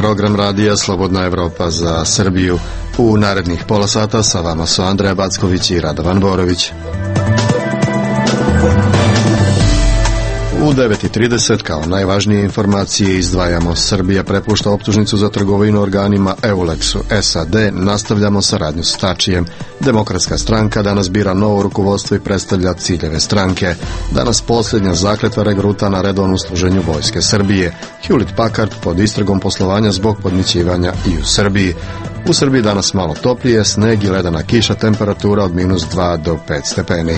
program radija Slobodna Evropa za Srbiju. U narednih pola sata sa vama su Andreja Backović i Radovan Borović. U 9:30 kao najvažnije informacije izdvajamo: Srbija prepušta optužnicu za trgovinu organima Eulexu, SAD nastavljamo saradnju s Tačijem, Demokratska stranka danas bira novo rukovodstvo i predstavlja ciljeve stranke, danas posljednja zakletva regruta na redovnom služenju vojske Srbije, Hewlett Packard pod istragom poslovanja zbog podmićivanja i u Srbiji. U Srbiji danas malo toplije, sneg i ledena kiša, temperatura od -2 do 5 stepeni.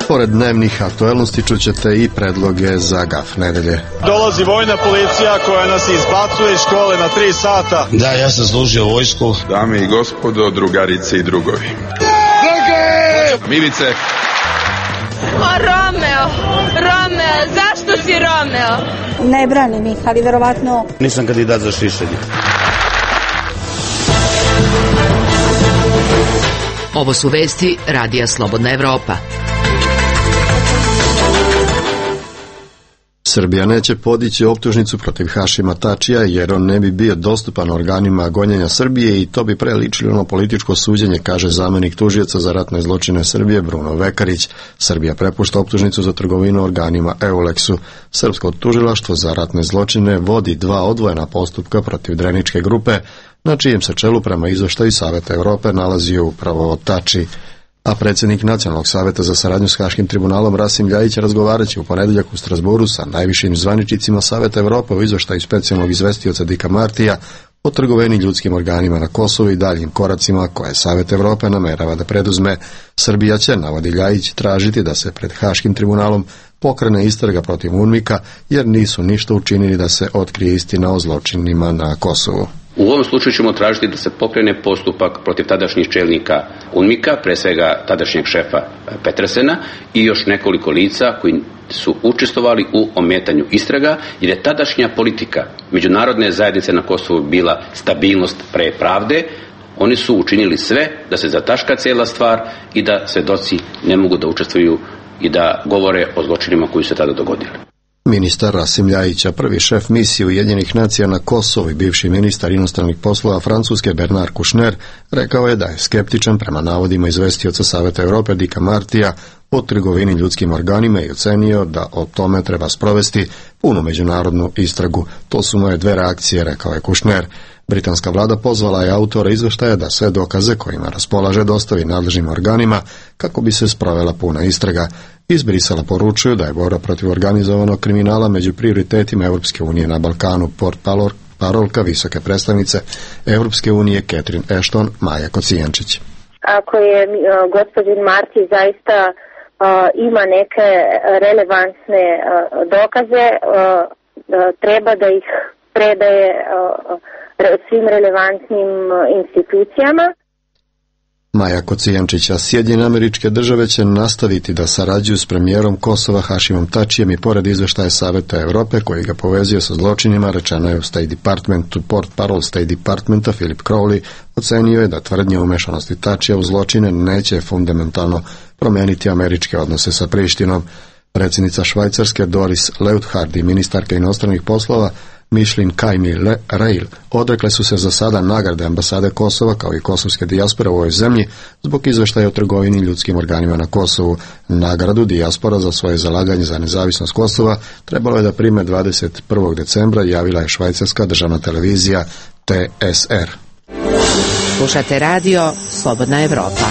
Pored dnevnih aktuelnosti čućete i predloge za gaf nedelje. Dolazi vojna policija koja nas izbacuje iz škole na 3 sata. Da, ja sam služio vojsku. Dame i gospodo, drugarice i drugovi. Milice. Romeo, zašto si Romeo? Ne branim ih, ali verovatno... Nisam kandidat za šišanje. Ovo su vesti Radija Slobodna Evropa. Srbija neće podići optužnicu protiv Hašima Tačija jer on ne bi bio dostupan organima gonjenja Srbije i to bi preličilo na političko suđenje, kaže zamjenik tužioca za ratne zločine Srbije Bruno Vekarić. Srbija prepušta optužnicu za trgovinu organima Eulexu. Srpsko tužilaštvo za ratne zločine vodi 2 odvojena postupka protiv Dreničke grupe, na čijem se čelu prema izveštaju Saveta Evrope nalazio upravo Tači. A predsjednik Nacionalnog saveta za saradnju s Haškim tribunalom Rasim Ljajić razgovaraće u ponedjeljak u Strasburu sa najvišim zvaničnicima Saveta Evrope u izveštaju specijalnog izvestioca Dicka Martija o trgovini ljudskim organima na Kosovu i daljim koracima koje Savet Evrope namerava da preduzme. Srbija će, navodi Ljajić, tražiti da se pred Haškim tribunalom pokrene istraga protiv UNMIK-a jer nisu ništa učinili da se otkrije istina o zločinima na Kosovu. U ovom slučaju ćemo tražiti da se pokrene postupak protiv tadašnjih čelnika UNMIK-a, pre svega tadašnjeg šefa Petresena i još nekoliko lica koji su učestvovali u ometanju istraga, jer je tadašnja politika međunarodne zajednice na Kosovu bila stabilnost pre pravde. Oni su učinili sve da se zataška cijela stvar i da svedoci ne mogu da učestvuju i da govore o zločinima koji su se tada dogodili. Ministar Rasim Ljajić, prvi šef misije Ujedinjenih nacija na Kosovu i bivši ministar inostranih poslova Francuske Bernard Kouchner, rekao je da je skeptičan prema navodima izvestioca Saveta Evrope Dicka Martija o trgovini ljudskim organima i ocenio da o tome treba sprovesti punu međunarodnu istragu. To su moje 2 reakcije, rekao je Kouchner. Britanska vlada pozvala je autora izveštaja da sve dokaze kojima raspolaže dostavi nadležnim organima kako bi se sprovela puna istraga. Iz Brisela poručuju da je borba protiv organizovanog kriminala među prioritetima Europske unije na Balkanu. Parolka visoke predstavnice Europske unije Catherine Ashton, Maja Kocijančić. Ako je gospodin Marti zaista ima neke relevantne dokaze, treba da ih predaje svim relevantnim institucijama. Maja Kocijančića, Sjedinjene Američke Države će nastaviti da sarađuju s premijerom Kosova Hašimom Tačijem i pored izveštaja Saveta Evrope koji ga povezio sa zločinima, rečeno je u State Departmentu. Portparol State Departmenta Philip Crowley ocenio je da tvrdnje umešanosti Tačija u zločine neće fundamentalno promijeniti američke odnose sa Prištinom. Predsjednica Švajcarske Doris Leuthard i ministarka inostranih poslova Mišlin Kajmi-Reil odrekle su se za sada nagrade ambasade Kosova kao i kosovske dijaspore u ovoj zemlji zbog izveštaja o trgovini ljudskim organima na Kosovu. Nagradu dijaspora za svoje zalaganje za nezavisnost Kosova trebalo je da prime 21. decembra, javila je švajcarska državna televizija TSR. Slušate radio Slobodna Evropa.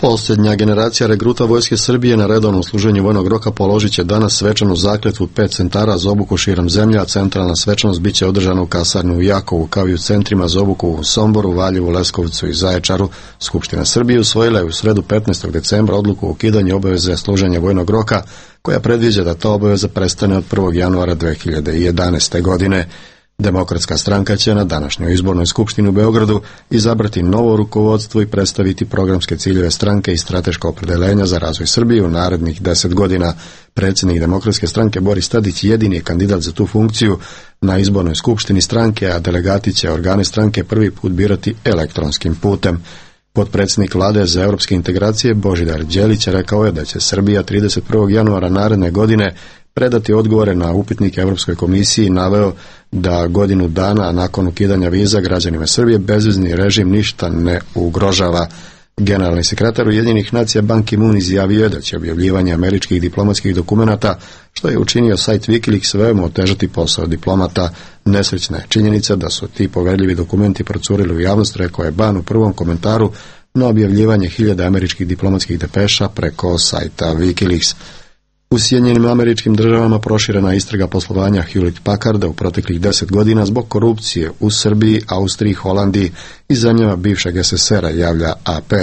Posljednja generacija regruta vojske Srbije na redovnom služenju vojnog roka položit će danas svečanu zakletvu 5 centara za obuku širom zemlje, a centralna svečanost biće održana u kasarni u Jakovu, kao i u centrima za obuku u Somboru, Valjevu, Leskovcu i Zaječaru. Skupština Srbije usvojila je u sredu 15. decembra odluku o ukidanju obaveze služenja vojnog roka, koja predviđa da ta obaveza prestane od 1. januara 2011. godine. Demokratska stranka će na današnjoj izbornoj skupštini u Beogradu izabrati novo rukovodstvo i predstaviti programske ciljeve stranke i strateška opredeljenja za razvoj Srbije u narednih 10 godina. Predsjednik Demokratske stranke Boris Tadić jedini je kandidat za tu funkciju na izbornoj skupštini stranke, a delegati će organe stranke prvi put birati elektronskim putem. Potpredsjednik vlade za europske integracije Božidar Đelić rekao je da će Srbija 31. januara naredne godine predati odgovore na upitnike Europskoj komisiji i naveo da godinu dana nakon ukidanja viza građanima Srbije bezvizni režim ništa ne ugrožava. Generalni sekretar Ujedinjenih nacija Ban Ki-moon izjavio je da će objavljivanje američkih diplomatskih dokumenata, što je učinio sajt Wikileaks, veoma otežati posao diplomata. Nesrećna je činjenica da su ti poverljivi dokumenti procurili u javnost, rekao je Ban u prvom komentaru na objavljivanje 1000 američkih diplomatskih depeša preko sajta Wikileaks. U Sjedinjenim Američkim Državama proširena istraga poslovanja Hewlett Packarda u proteklih 10 godina zbog korupcije u Srbiji, Austriji, Holandiji i zemljama bivšeg SSR-a, javlja AP.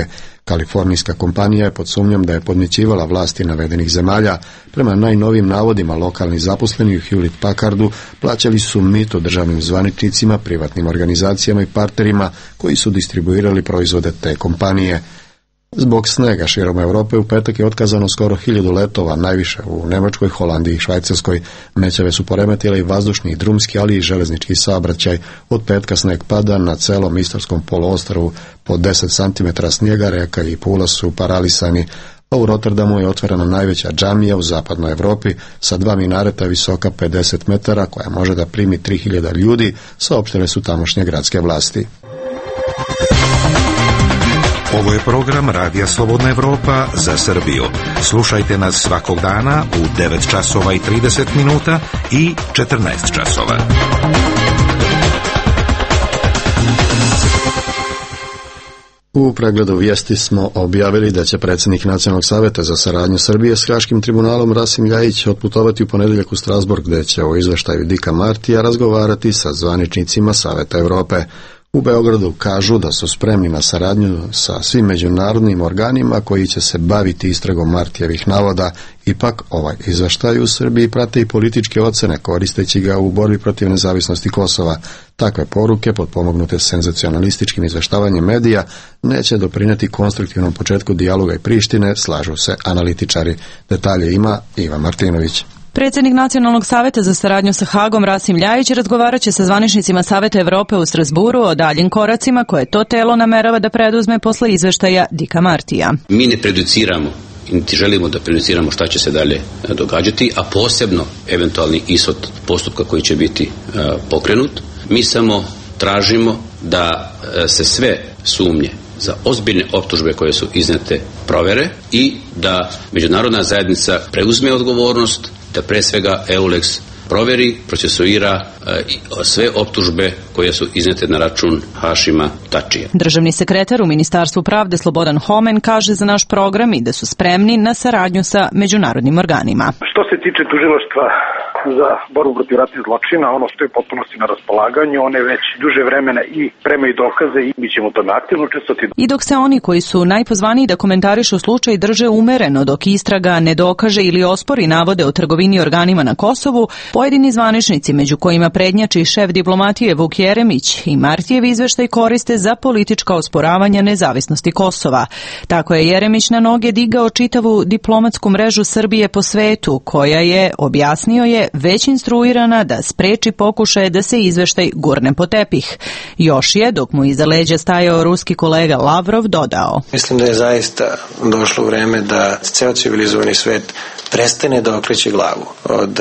Kalifornijska kompanija je pod sumnjom da je podmićivala vlasti navedenih zemalja. Prema najnovijim navodima, lokalni zaposleni u Hewlett Packardu plaćali su mito državnim zvaničnicima, privatnim organizacijama i partnerima koji su distribuirali proizvode te kompanije. Zbog snega širom Europe u petak je otkazano skoro 1000 letova, najviše u Nemačkoj, Holandiji i Švajcarskoj. Mećave su poremetile i vazdušni i drumski, ali i železnički saobraćaj. Od petka sneg pada na celom Istarskom poluostrvu, po 10 cm snijega, Reka i Pula su paralisani. A u Rotterdamu je otvorena najveća džamija u zapadnoj Europi sa 2 minareta visoka 50 metara koja može da primi 3000 ljudi, saopštile su tamošnje gradske vlasti. Ovo je program Radija Slobodna Evropa za Srbiju. Slušajte nas svakog dana u 9 časova i 30 minuta i 14 časova. U pregledu vijesti smo objavili da će predsjednik Nacionalnog saveta za saradnju Srbije s Haškim tribunalom Rasim Ljajić otputovati u ponedjeljak u Strasbourg, gdje će o izveštaju Dicka Martija razgovarati sa zvaničnicima Saveta Europe. U Beogradu kažu da su spremni na saradnju sa svim međunarodnim organima koji će se baviti istragom Martijevih navoda. Ipak ovaj izveštaj u Srbiji prate i političke ocene, koristeći ga u borbi protiv nezavisnosti Kosova. Takve poruke, potpomognute senzacionalističkim izveštavanjem medija, neće doprinijeti konstruktivnom početku dijaloga i Prištine, slažu se analitičari. Detalje ima Ivan Martinović. Predsjednik Nacionalnog saveta za saradnju sa Hagom Rasim Ljajić razgovarat će sa zvaničnicima Saveta Europe u Strasburu o daljim koracima koje to telo namerava da preduzme posle izveštaja Dicka Martija. Mi ne prejudiciramo, niti želimo da prejudiciramo šta će se dalje događati, a posebno eventualni ishod postupka koji će biti pokrenut. Mi samo tražimo da se sve sumnje za ozbiljne optužbe koje su iznete provere i da međunarodna zajednica preuzme odgovornost, da pre svega EULEX proveri, procesuira sve optužbe koje su iznete na račun Hašima Tačija. Državni sekretar u Ministarstvu pravde Slobodan Homen kaže za naš program i da su spremni na saradnju sa međunarodnim organima. Što se tiče tužilaštva za borbu protiv ratnih zločina, ono stoji potpunosti na raspolaganju, one već duže vremena i premaju dokaze i mi ćemo to aktivno učestvovati. I dok se oni koji su najpozvaniji da komentarišu slučaj drže umereno dok istraga ne dokaže ili ospori navode o trgovini organima na Kosovu, pojedini zvaničnici, među kojima prednjači šef diplomatije Vuk Jeremić, i Martijev izveštaj koriste za politička osporavanja nezavisnosti Kosova. Tako je Jeremić na noge digao čitavu diplomatsku mrežu Srbije po svetu, koja je, objasnio je, već instruirana da spreči pokušaje da se izveštaj gurne po tepih. Još je, dok mu iza leđa stajao ruski kolega Lavrov, dodao: Mislim da je zaista došlo vreme da ceo civilizovani svet prestane da okreće glavu od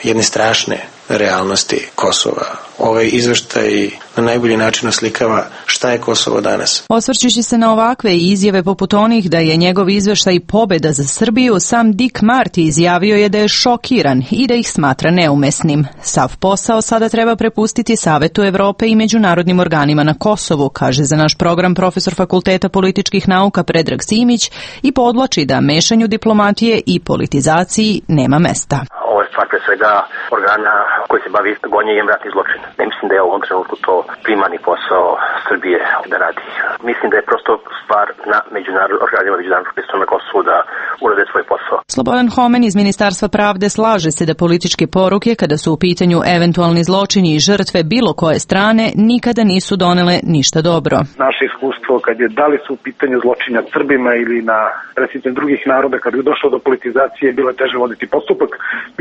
jedne strašne realnosti Kosova. Ovaj izveštaj na najbolji način oslikava šta je Kosovo danas. Osvrćući se na ovakve izjave poput onih da je njegov izveštaj pobeda za Srbiju, sam Dick Marty izjavio je da je šokiran i da ih smatra neumesnim. Sav posao sada treba prepustiti Savetu Europe i međunarodnim organima na Kosovu, kaže za naš program profesor Fakulteta političkih nauka Predrag Simić i podvlači da mešanju diplomatije i politizaciji nema mesta. Ovo je stvar pre svega organa koji se bavi gonjenjem ratnih zločina. Ne mislim da je u ovom trenutku to primarni posao Srbije da radi. Mislim da je prosto stvar na organima međunarodnog pristupnog na Kosovu da urade svoj posao. Slobodan Homen iz Ministarstva pravde slaže se da političke poruke, kada su u pitanju eventualni zločini i žrtve bilo koje strane, nikada nisu donele ništa dobro. Naše iskustvo kad je da li su u pitanju zločina Srbima ili na predstavnicima drugih naroda, kad je došlo do politizacije, bilo je teže voditi postupak.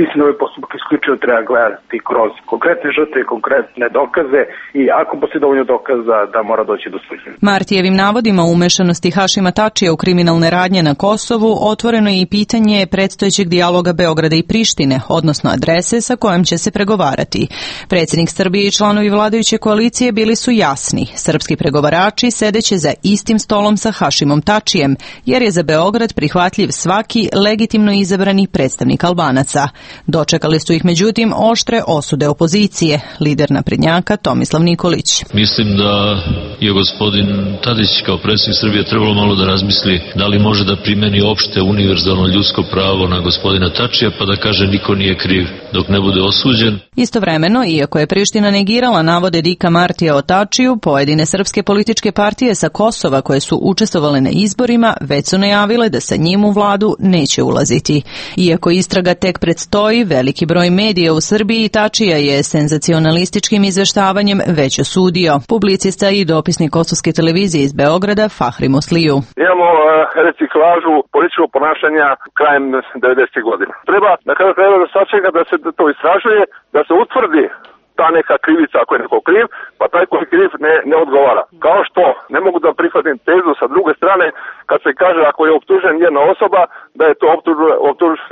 Mislim da ovaj postupak isključivo treba gledati kroz konkretne žrtve, konkretne dokaze i ako postoji dovoljno dokaza da mora doći do suđenja. Martijevim navodima o umešanosti Hašima Tačija u kriminalne radnje na Kosovu otvoreno je i pitanje predstojećeg dijaloga Beograda i Prištine, odnosno adrese sa kojom će se pregovarati. Predsjednik Srbije i članovi vladajuće koalicije bili su jasni. Srpski pregovarači sedeće za istim stolom sa Hašimom Tačijem, jer je za Beograd prihvatljiv svaki legitimno izabrani predstavnik Albanaca. Dočekali su ih međutim oštre osude opozicije, lider naprednjaka Tomislav Nikolić. Mislim da je gospodin Tadić kao predsjednik Srbije trebalo malo da razmisli da li može da primeni opšte univerzalno ljudsko pravo na gospodina Tačija pa da kaže niko nije kriv dok ne bude osuđen. Istovremeno, iako je Priština negirala navode Dika Martija o Tačiju, pojedine srpske političke partije sa Kosova koje su učestvovale na izborima već su najavile da sa njim u vladu neće ulaziti. Iako istraga tek predstoji, veliki broj medija u Srbiji Tačija je senzacionalističkim izveštavanjem već osudio. Publicista i dopisnik kosovske televizije iz Beograda Fahri Musliju. Imamo reciklažu političkog ponašanja krajem 90. godina. Treba da sačeka da se to istražuje, da se utvrdi ta neka krivica ako je neko kriv, pa taj koji je kriv ne odgovara. Kao što ne mogu da prihvatim tezu sa druge strane kad se kaže ako je optužen jedna osoba da je to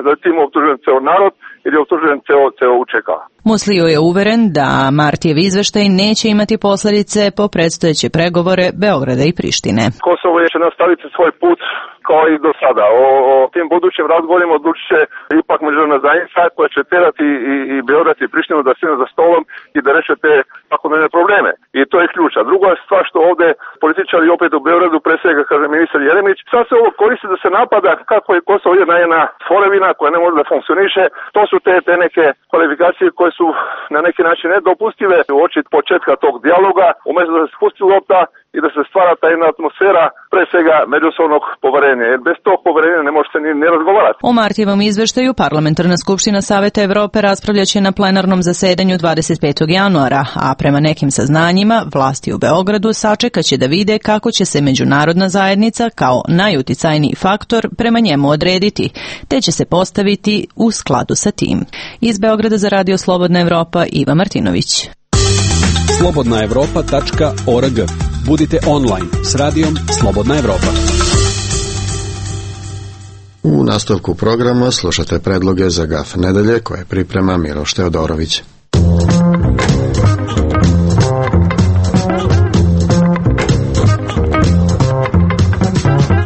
da je tim optužen ceo narod ili je optužen ceo UČK. Musliju je uveren da Martijev izveštaj neće imati posljedice po predstojeće pregovore Beograda i Prištine. Kosovo će nastaviti svoj put kao i do sada. O tim budućim razgovorima odlučit će ipak međunarodna zajednica koja će terati i Beograd i Prištinu da sjednu za stolom i da reše te svakodnevne probleme. I to je ključ. A druga stvar što ovde političari opet u Beogradu, pre svega kaže ministar Jeremić, sad se ovo koristi da se napada kako je Kosovo jedna tvorevina koja ne može da funkcioniše. To su te neke kvalifikacije koje su na neki način nedopustive u oči početka tog dijaloga, umjesto da se spusti lopta i da se stvara ta jedna atmosfera, pre svega međusobnog poverenja. Jer bez tog poverenja ne može se ni razgovarati. O Martijevom izveštaju Parlamentarna skupština Saveta Evrope raspravljaće na plenarnom zasedanju 25. januara, a prema nekim saznanjima vlasti u Beogradu sačekaće da vide kako će se međunarodna zajednica kao najuticajniji faktor prema njemu odrediti, te će se postaviti u skladu sa tim. Iz Beograda za Radio Slobodna Evropa, Iva Martinović. slobodnaevropa.org. Budite online s radijom Slobodna Evropa. U nastavku programa slušate predloge za GAF nedelje koje priprema Miloš Teodorović.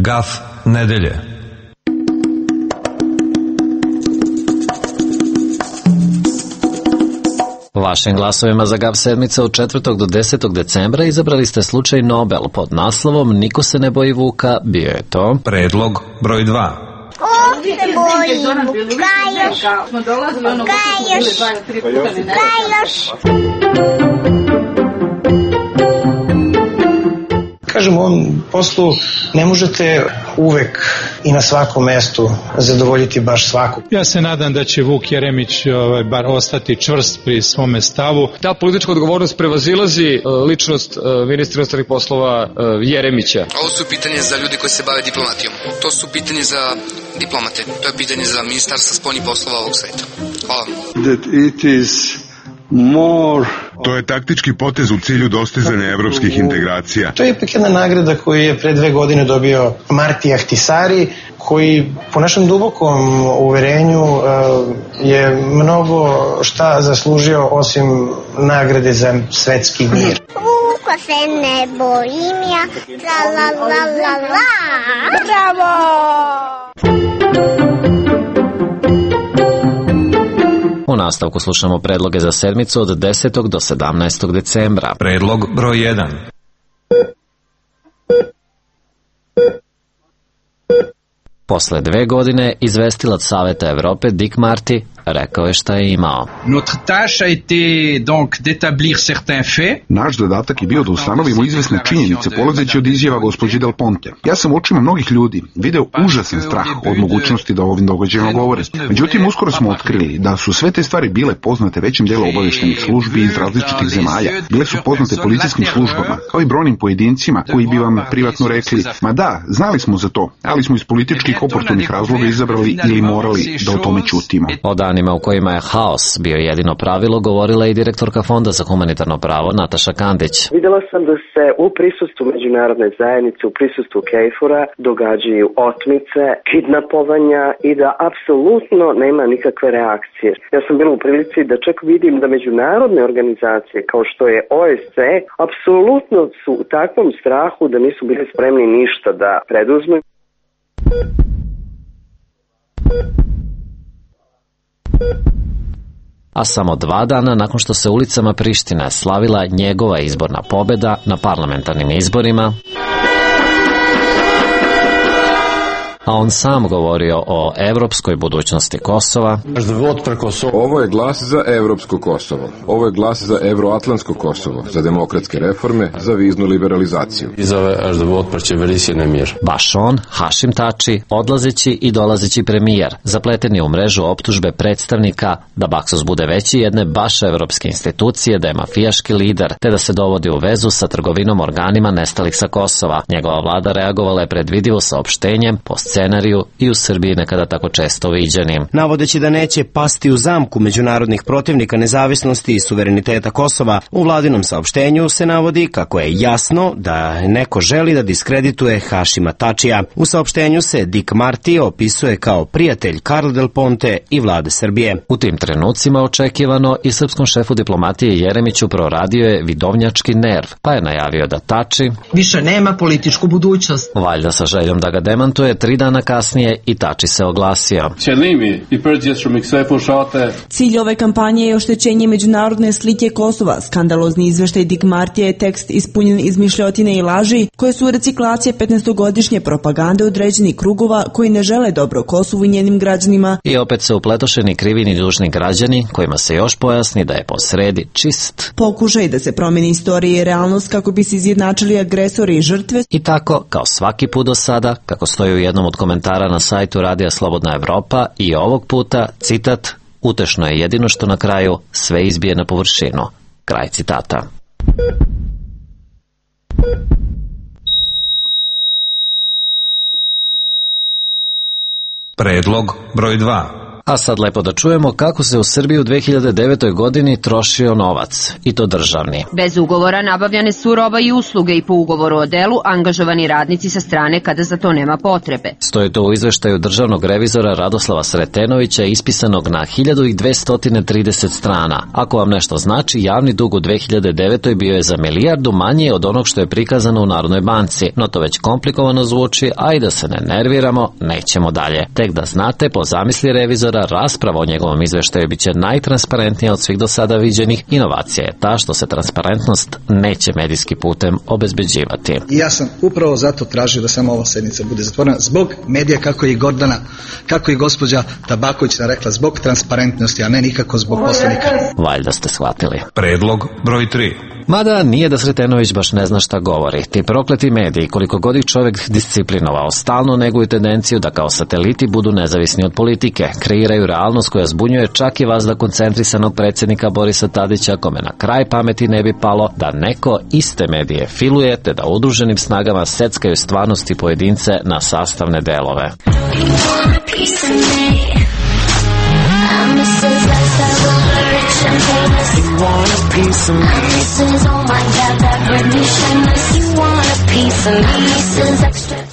GAF nedelje. Vašim glasovima za GAF sedmice od 4. do 10. decembra izabrali ste slučaj Nobel pod naslovom Niko se ne boji vuka, bio je to predlog broj 2. Ko se boji vuka još? Kažem, u ovom poslu ne možete uvek i na svakom mestu zadovoljiti baš svakog. Ja se nadam da će Vuk Jeremić bar ostati čvrst pri svome stavu. Ta politička odgovornost prevazilazi ličnost ministra inostranih poslova Jeremića. Ovo su pitanje za ljudi koji se bave diplomatijom. To su pitanje za diplomate. To je pitanje za ministarstvo spoljnih poslova ovog sveta. Hvala. To je taktički potez u cilju dostizanja evropskih integracija. To je ipak jedna nagrada koju je pre 2 godine dobio Marti Ahtisari, koji po našem dubokom uverenju je mnogo šta zaslužio osim nagrade za svetski mir. Vuka se ne bojim ja, la la la la la. Bravo! U nastavku slušamo predloge za sedmicu od 10. do 17. decembra. Predlog broj 1. Posle 2 godine, izvestilac Saveta Evrope Dick Marty rekao je šta je imao. Naš zadatak je bio da ustanovimo izvesne činjenice polazeći od izjava gospođe Del Ponte. Ja sam u očima mnogih ljudi video užasan strah od mogućnosti da o ovim događajima govore. Međutim, uskoro smo otkrili da su sve te stvari bile poznate većem delu obavještajnih službi iz različitih zemalja. Bile su poznate policijskim službama, kao i brojnim pojedincima koji bi vam privatno rekli: ma da, znali smo za to, ali smo iz političkih oportunih razloga izabrali ili morali da o tome ćutimo. O danima u kojima je haos bio jedino pravilo govorila i direktorka Fonda za humanitarno pravo Nataša Kandić. Videla sam da se u prisustvu međunarodne zajednice, u prisustvu KFOR-a događaju otmice, kidnapovanja i da apsolutno nema nikakve reakcije. Ja sam bila u prilici da čak vidim da međunarodne organizacije kao što je OSCE apsolutno su u takvom strahu da nisu bili spremni ništa da preduzmu. A samo 2 dana nakon što se ulicama Prištine slavila njegova izborna pobjeda na parlamentarnim izborima, a on sam govorio o evropskoj budućnosti Kosova. Ovo je glas za evropsko Kosovo. Ovo je glas za evroatlantsko Kosovo, za demokratske reforme, za viznu liberalizaciju. Baš on, Hašim Tači, odlazeći i dolazeći premijer, zapleteni u mrežu optužbe predstavnika da Baksos bude veći jedne baš evropske institucije, da je mafijaški lider, te da se dovodi u vezu sa trgovinom organima nestalih sa Kosova. Njegova vlada reagovala je predvidivo saopštenjem po scenariju i u Srbiji nekada tako često viđenim. Navodeći da neće pasti u zamku međunarodnih protivnika nezavisnosti i suvereniteta Kosova, u vladinom saopštenju se navodi kako je jasno da neko želi da diskredituje Hašima Tačija. U saopštenju se Dick Marty opisuje kao prijatelj Carla Del Ponte i vlade Srbije. U tim trenucima očekivano i srpskom šefu diplomatije Jeremiću proradio je vidovnjački nerv, pa je najavio da Tači više nema političku budućnost. Valjda sa željom da ga demantuje, 3 dana kasnije i Tači se oglasio. Cilj ove kampanje je oštećenje međunarodne slike Kosova. Skandalozni izveštaj Dick Marty je tekst ispunjen izmišljotine i laži koje su reciklacije 15-godišnje propagande određenih krugova koji ne žele dobro Kosovu i njenim građanima. I opet se upletošeni krivi ni dužni građani kojima se još pojasni da je posredi čist pokušaj da se promeni istorija i realnost kako bi se izjednačili agresori i žrtve. I tako, kao svaki put do sada, kako stoji u jednom od komentara na sajtu Radija Slobodna Evropa, i ovog puta, citat: utešno je jedino što na kraju sve izbije na površinu. Kraj citata. Predlog broj 2. A sad lepo da čujemo kako se u Srbiji u 2009. godini trošio novac, i to državni. Bez ugovora nabavljane su roba i usluge i po ugovoru o delu angažovani radnici sa strane kada za to nema potrebe. Stoji to u izveštaju državnog revizora Radoslava Sretenovića ispisanog na 1230 strana. Ako vam nešto znači, javni dug u 2009. bio je za milijardu manji od onog što je prikazano u Narodnoj banci, no to već komplikovano zvuči, a i da se ne nerviramo, nećemo dalje. Tek da znate, po zamisli revizora, rasprava o njegovom izveštaju biće najtransparentnija od svih do sada viđenih. Inovacija je ta što se transparentnost neće medijski putem obezbeđivati. I ja sam upravo zato tražio da samo ova sednica bude zatvorena zbog medija, kako je i Gordana, kako i gospođa Tabaković rekla, zbog transparentnosti, a ne nikako zbog poslanika. Valjda ste shvatili. Predlog broj 3. Mada nije da Sretenović baš ne zna šta govori. Ti prokleti mediji, koliko god ih čovjek disciplinovao, stalno neguju tendenciju da kao sateliti budu nezavisni od politike. Kreiraju realnost koja zbunjuje čak i vazda koncentrisanog predsjednika Borisa Tadića, kome na kraj pameti ne bi palo da neko iste medije filuje, te da udruženim snagama seckaju stvarnosti pojedince na sastavne delove.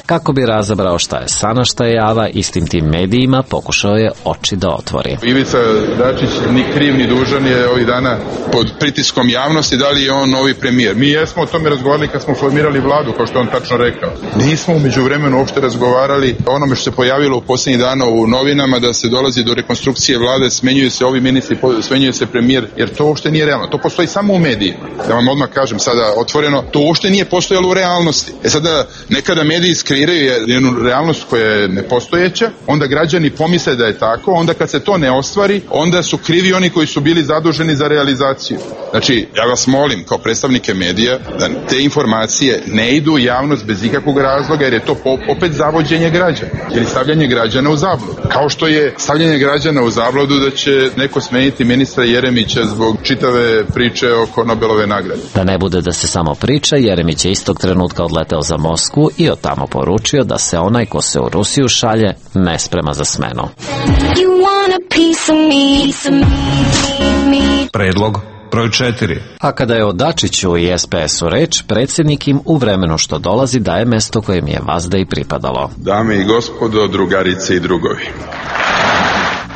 Kako bi razabrao šta je sana, šta je java, istim tim medijima pokušao je oči da otvori. Ivica Dačić ni kriv ni dužan je ovih dana pod pritiskom javnosti da li je on novi premijer. Mi jesmo o tome razgovarali kad smo formirali vladu, kao što on tačno rekao. Nismo umeđu vremenu uopšte razgovarali o onome što se pojavilo u posljednjih dana u novinama, da se dolazi do rekonstrukcije vlade, smenjuju se ovi ministri, smenjuje se premijer, jer to uopšte nije realno. To postoji samo u medijima. Da vam odmah kažem sada otvoreno, to uopšte nije postojalo u realnosti. Sada nekada medijske kreiraju jednu realnost koja je nepostojeća, onda građani pomisle da je tako, onda kad se to ne ostvari, onda su krivi oni koji su bili zaduženi za realizaciju. Znači, ja vas molim kao predstavnike medija da te informacije ne idu u javnost bez ikakvog razloga, jer je to opet zavođenje građana ili stavljanje građana u zabludu. Kao što je stavljanje građana u zabludu da će neko smeniti ministra Jeremića zbog čitave priče oko Nobelove nagrade. Da ne bude da se samo priča, Jeremić je istog trenutka odleteo za Moskvu i od tamo poručio da se onaj ko se u Rusiju šalje ne sprema za smenu. Predlog broj 4. A kada je o Dačiću i SPS-u reč, predsjednik im u vremenu što dolazi daje mesto kojem je vazda i pripadalo. Dame i gospodo, drugarice i drugovi.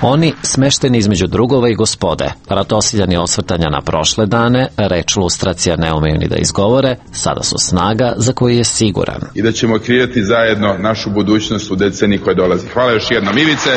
Oni, smešteni između drugova i gospode, ratosiljani osvrtanja na prošle dane, reč lustracija ne umeju ni da izgovore, sada su snaga za koju je siguran. I da ćemo kreirati zajedno našu budućnost u deceniji koja dolazi. Hvala još jednom, Ivice.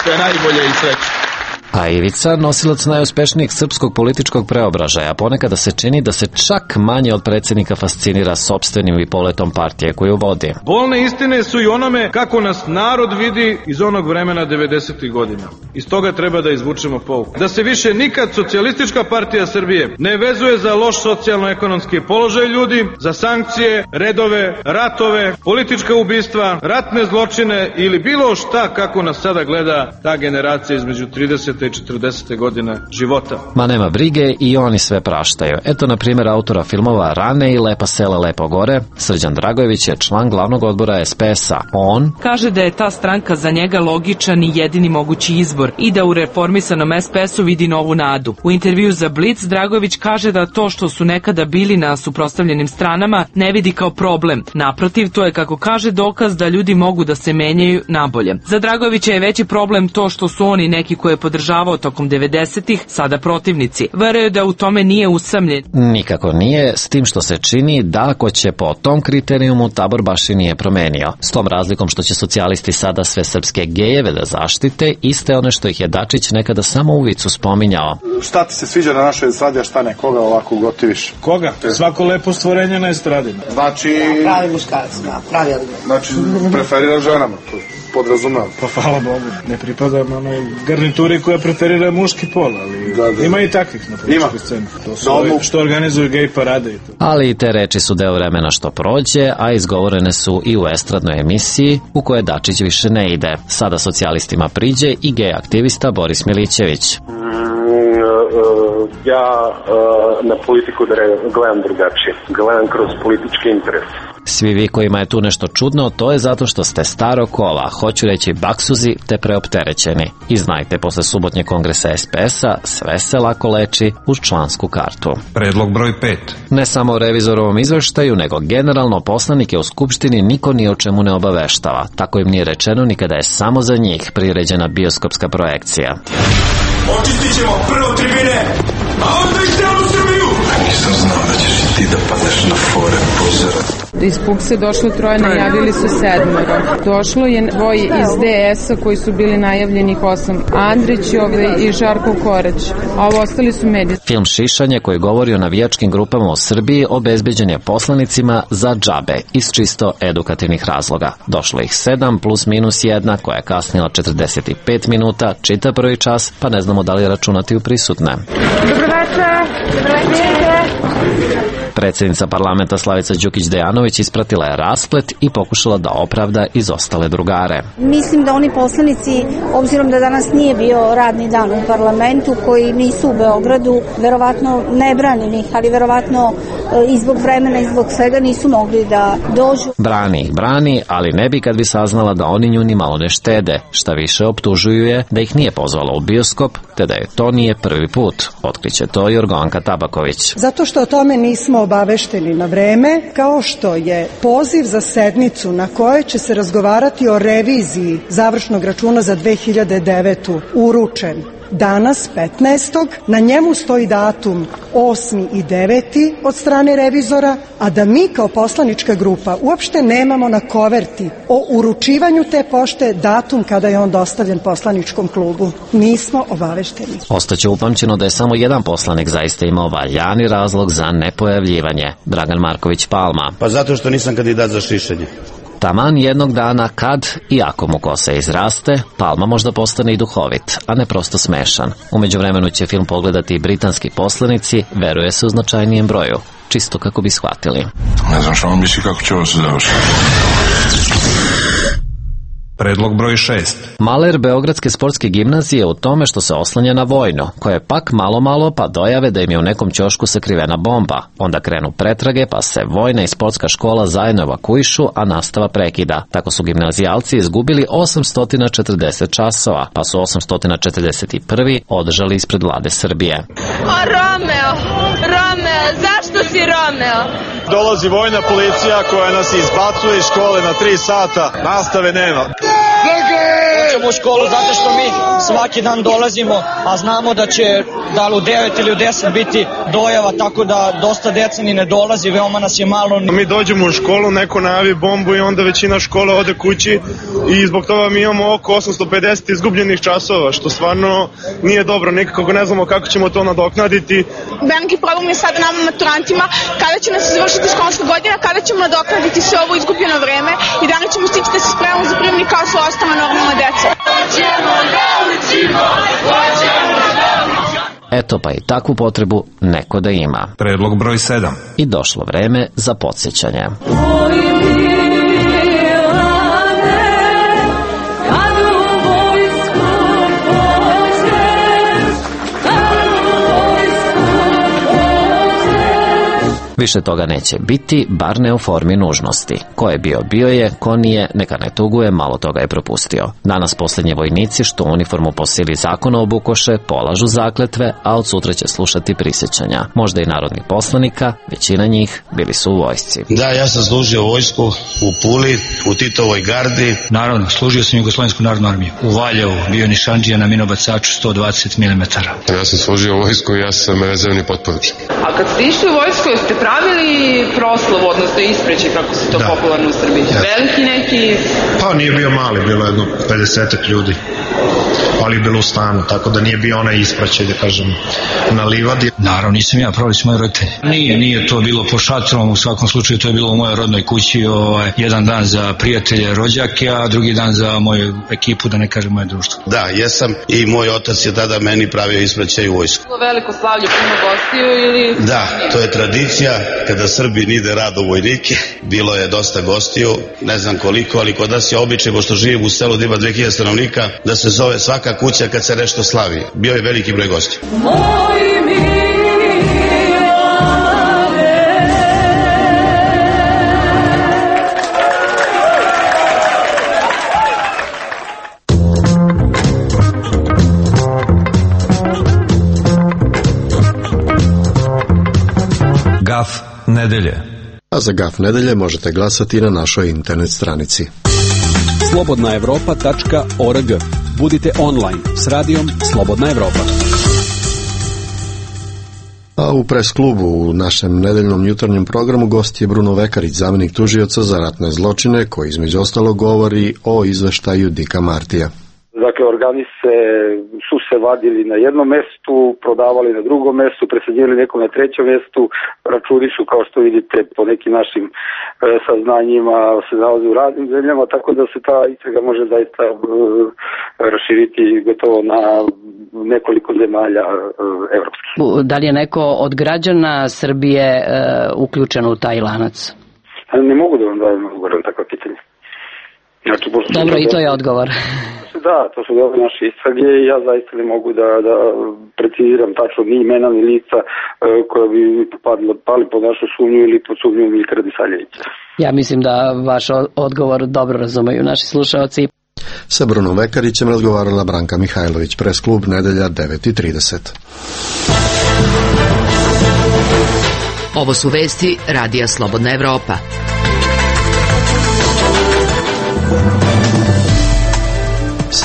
Sve najbolje i sreće. A Ivica, nosilac najuspešnijeg srpskog političkog preobražaja, ponekada se čini da se čak manje od predsjednika fascinira sopstvenim i poletom partije koju vodi. Bolne istine su i onome kako nas narod vidi iz onog vremena 90. godina. Iz toga treba da izvučemo pouku. Da se više nikad Socijalistička partija Srbije ne vezuje za loš socijalno-ekonomski položaj ljudi, za sankcije, redove, ratove, politička ubistva, ratne zločine ili bilo šta kako nas sada gleda ta generacija između 30. i 40. godine života. Ma nema brige i oni sve praštaju. Eto, na primjer, autora filmova Rane i Lepa sela, lepo gore, Srđan Dragojević je član glavnog odbora SPS-a. On kaže da je ta stranka za njega logičan i jedini mogući izbor i da u reformisanom SPS-u vidi novu nadu. U intervju za Blic Dragojević kaže da to što su nekada bili na suprotstavljenim stranama ne vidi kao problem. Naprotiv, to je, kako kaže, dokaz da ljudi mogu da se menjaju nabolje. Za Dragojevića je veći problem to što su oni neki koje podržavao tokom 90-ih, sada protivnici. Veruje da u tome nije usamljen. Nikako nije, s tim što se čini da ako će po tom kriterijumu tabor baš i nije promenio. S tom razlikom što će socijalisti sada sve srpske gejeve da zaštite, iste one što ih je Dačić nekada samo u vicu spominjao. Šta ti se sviđa na našoj estradi, a šta ne? Koga ovako gotiviš? Koga? Svako lepo stvorenje na estradi. Znači... Pravi muškarac, pravi odgovor. Znači, preferira ženama, to podrazumavam. Pa hvala Bogu, ne pripadam onoj garnituri koja preferira muški pol, ali da. Ima i takvih na političkoj sceni. To su što organizuju gej parade i to. Ali i te reči su deo vremena što prođe, a izgovorene su i u estradnoj emisiji u kojoj Dačić više ne ide. Sada socijalistima priđe i gej aktivista Boris Milićević. Ja na politiku gledam drugačije. Gledam kroz političke interese. Svi vi kojima je tu nešto čudno, to je zato što ste staro kola, hoću reći baksuzi, te preopterećeni. I znajte, posle subotnje kongresa SPS-a sve se lako leči uz člansku kartu. Predlog broj 5. Ne samo o revizorovom izveštaju, nego generalno poslanike u Skupštini niko ni o čemu ne obaveštava. Tako im nije rečeno ni kada je samo za njih priređena bioskopska projekcija. Očistit ćemo prvo tribine, a onda i celu Srbiju! Nisam znao da ćeš i ti da padeš na fore pozora. Iz PUKS-a došlo 3, najavili su 7. Došlo je 2 iz DS-a koji su bili najavljenih 8. Andrić i Žarko Korać, a ovo ostali su mediji. Film Šišanje koji govori o navijačkim grupama u Srbiji obezbeđen je poslanicima za džabe iz čisto edukativnih razloga. Došlo ih 7 plus minus 1 koja je kasnila 45 minuta, čita prvi čas, pa ne znamo da li računati u prisutne. Predsjednica parlamenta Slavica Đukić-Dejanović ispratila je rasplet i pokušala da opravda izostale drugare. Mislim da oni poslanici, obzirom da danas nije bio radni dan u parlamentu, koji nisu u Beogradu, verovatno ne branim ih, ali verovatno i zbog vremena i zbog svega nisu mogli da dođu. Brani, ali ne bi kad bi saznala da oni nju ni malo ne štede. Šta više, optužuju je da ih nije pozvala u bioskop, te da je to nije prvi put. Otkriće to Jorgovanka Tabaković. Zato što o tome nismo obavešteni na vreme, kao što je poziv za sednicu na kojoj će se razgovarati o reviziji završnog računa za 2009. uručen danas 15. na njemu stoji datum 8. i 9. od strane revizora, a da mi kao poslanička grupa uopšte nemamo na koverti o uručivanju te pošte datum kada je on dostavljen poslaničkom klubu. Nismo obavešteni. Ostaće upamćeno da je samo jedan poslanik zaista imao valjani razlog za nepojavljivanje, Dragan Marković Palma. Pa zato što nisam kandidat za šišanje. Taman jednog dana kad, i ako mu kosa izraste, Palma možda postane i duhovit, a ne prosto smešan. U međuvremenu će film pogledati i britanski poslanici, veruje se u značajnijem broju, čisto kako bi shvatili. Ne znam što vam misli kako će ovo se završiti. Predlog broj 6. Maler Beogradske sportske gimnazije u tome što se oslanja na vojno, koje pak malo pa dojave da im je u nekom ćošku sakrivena bomba. Onda krenu pretrage pa se vojna i sportska škola zajedno evakuišu, a nastava prekida. Tako su gimnazijalci izgubili 840 časova, pa su 841. održali ispred vlade Srbije. O Romeo, zašto si Romeo? Dolazi vojna policija koja nas izbacuje iz škole na 3 sata, nastave nema. Hoćemo u školu zato što mi svaki dan dolazimo, a znamo da će da li u 9 ili u 10 biti dojava, tako da dosta deca ni ne dolazi, veoma nas je malo. Mi dođemo u školu, neko najavi bombu i onda većina škole ode kući i zbog toga mi imamo oko 850 izgubljenih časova, što stvarno nije dobro, nikako ne znamo kako ćemo to nadoknaditi. Veliki problem je sada nama maturantima, kada će nas izvršiti školska godina, kada ćemo nadoknaditi sve ovo izgubljeno vreme i da li ćemo stići da se spremamo za prijemni kao su ostala normalna deca. Eto pa i takvu potrebu neko da ima. Predlog broj 7. I došlo vreme za podsjećanje. Više toga neće biti, bar ne u formi nužnosti. Ko je bio je, ko nije, neka ne tuguje, malo toga je propustio. Danas posljednji vojnici što uniformu po sili zakona obukoše, polažu zakletve, a od sutra će slušati prisjećanja. Možda i narodnih poslanika, većina njih bili su u vojsci. Da, ja sam služio vojsku u Puli, u Titovoj gardi. Naravno, služio sam Jugoslovensku narodnu armiju. U Valjevu, bio nišandžija na minobacaču 120 mm. Ja sam služio vojsku i ja sam rezervni potporučnik. A kad ste išli u vojsku, jeste pravili proslav, odnosno ispreći, kako se to popularno u Srbiji? Veliki neki? Pa nije bio mali, bilo jedno 50 ljudi, ali je bilo u stanu, tako da nije bio onaj ispraćaj, da kažem, na livadi. Naravno, nisam ja, pravili su moji roditelji. Nije to bilo po šatrom, u svakom slučaju to je bilo u mojoj rodnoj kući, jedan dan za prijatelje, rođake, a drugi dan za moju ekipu, da ne kažem moje društvo. Da, jesam, i moj otac je tada meni pravio ispraćaj u vojsku. Veliko slavlje, puno gostiju ili? Da, to je tradicija, kada Srbi ide rad u vojnike, bilo je dosta gostiju, ne znam koliko, ali kod nas je običaj, pošto živim u selu da ima 2000 stanovnika, da se zove svaka kuća kad se nešto slavi. Bio je veliki broj gostiju. Gaf nedelje. A za Gaf nedelje možete glasati na našoj internet stranici. slobodnaevropa.org. Budite online s radijom Slobodna Evropa. A u pres klubu u našem nedeljnom jutarnjem programu gost je Bruno Vekarić, zamjenik tužioca za ratne zločine, koji između ostalog govori o izveštaju Dika Martija. Dakle, organi su se vadili na jednom mestu, prodavali na drugom mestu, presađivali nekom na trećem mestu, računi su, kao što vidite, po nekim našim saznanjima se nalaze u raznim zemljama, tako da se ta istraga može zaista raširiti gotovo na nekoliko zemalja evropskih. Da li je neko od građana Srbije uključen u taj lanac? Ne mogu da vam dajem odgovor na takva pitanja. Znači, dobro, i to je odgovor. Da, to su dobre naše istrage i ja zaista ne mogu da preciziram tačno ni imena ni lica koja bi pali pod našu sumnju ili pod sumnju Milka Radisavljevića. Ja mislim da vaš odgovor dobro razumeju naši slušaoci. Sa Brunom Vekarićem razgovarala Branka Mihajlović, pres klub, nedelja 9:30. Ovo su vesti Radija Slobodna Evropa.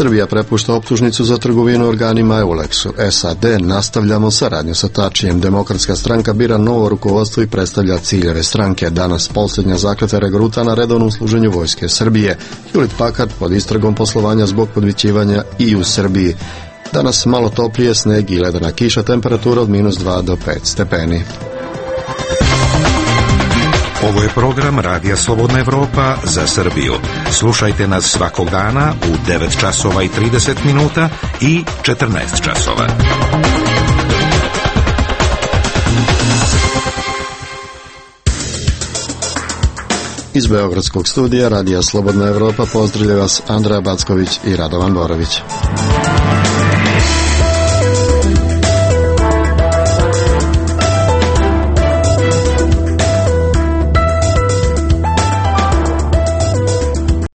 Srbija prepušta optužnicu za trgovinu organima Eulexu. SAD nastavljamo saradnju sa Tačijem. Demokratska stranka bira novo rukovodstvo i predstavlja ciljeve stranke. Danas posljednja zakletva regruta na redovnom služenju Vojske Srbije. Hewlett Packard pod istragom poslovanja zbog podvićivanja i u Srbiji. Danas malo toplije, sneg i ledena kiša, temperatura od -2 do 5 stepeni. Ovo je program Radija Slobodna Evropa za Srbiju. Slušajte nas svakog dana u 9 časova i 30 minuta i 14 časova. Iz Beogradskog studija Radija Slobodna Evropa pozdravlja vas Andreja Backović i Radovan Borović.